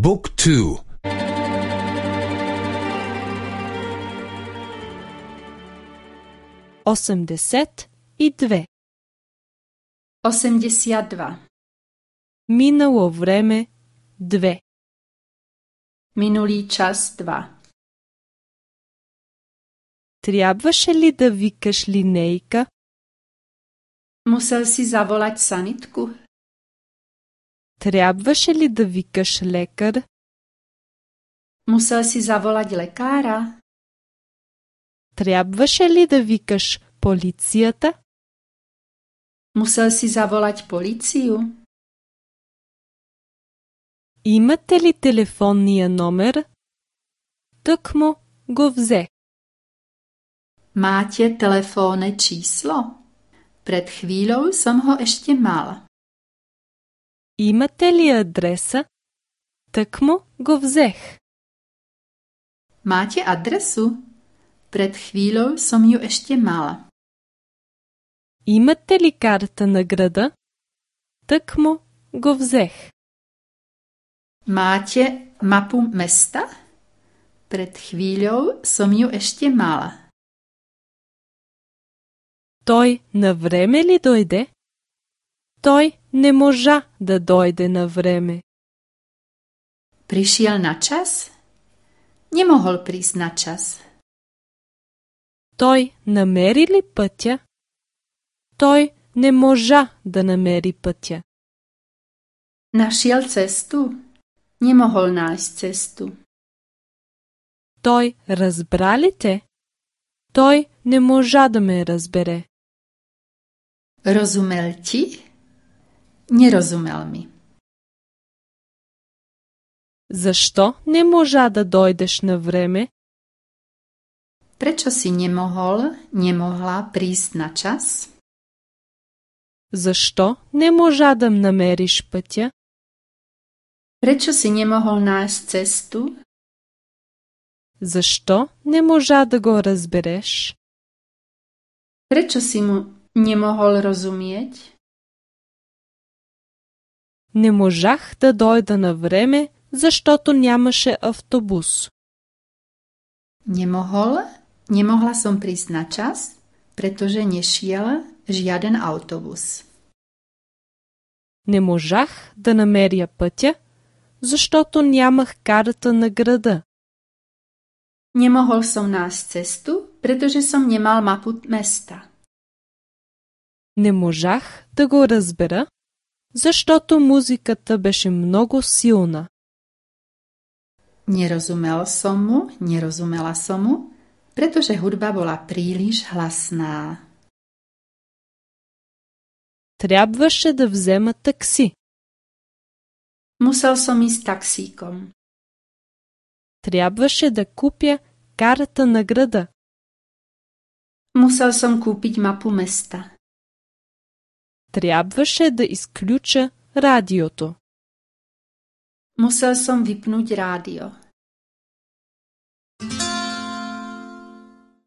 บุ๊กทู82 82. Минало време 2 Minulý čas 2. Трябваше ли да викаш линейка? Musel si zavolať sanitku? Трябваше ли да викаш лекар? Musel si zavolať lekára? Трябваше ли да викаш полицията? Musel si zavolať políciu? Имате ли телефонния номер? Тъкмо го взе. Máte telefónne číslo? Pred chvíľou som ho ešte mal. Имате ли адреса? Тъкмо го взех. Máte adresu? Pred chvíľou som ju ešte mal. Имате ли карта на града? Тъкмо го взех. Máte mapu mesta? Pred chvíľou som ju ešte mal. Той на време ли дойде? Той не можа да дойде на време. Prišiel na čas? Nemohol prísť na čas. Той намери ли пътя? Той не можа да намери пътя. Našiel cestu? Nemohol nájsť cestu. Той разбра ли те? Той не можа да ме разбере. Rozumel ti? Nerozumel mi. Защо не можа да дойдеш на време? Prečo si nemohla prísť na čas? Защо не можа да намериш пътя? Prečo si nemohol nájsť cestu? Защо не можа да го разбереш? Prečo si mu nemohol rozumieť? Не можах да дойда на време, защото нямаше автобус. Nemohla som prísť na čas, pretože nešiel žiaden autobus. Не можах да намеря пътя, защото нямах карта на града. Nemohol som nájsť cestu, pretože som nemal mapu mesta. Не можах да го разбера, защото музиката беше много силна. Nerozumela som mu, pretože hudba bola príliš hlasná. Трябваше да взема такси. Musel som ísť taxíkom. Трябваше да купя карта на града. Musel som kúpiť mapu mesta. Трябваше да изключа радиото. Musel som vypnúť rádio.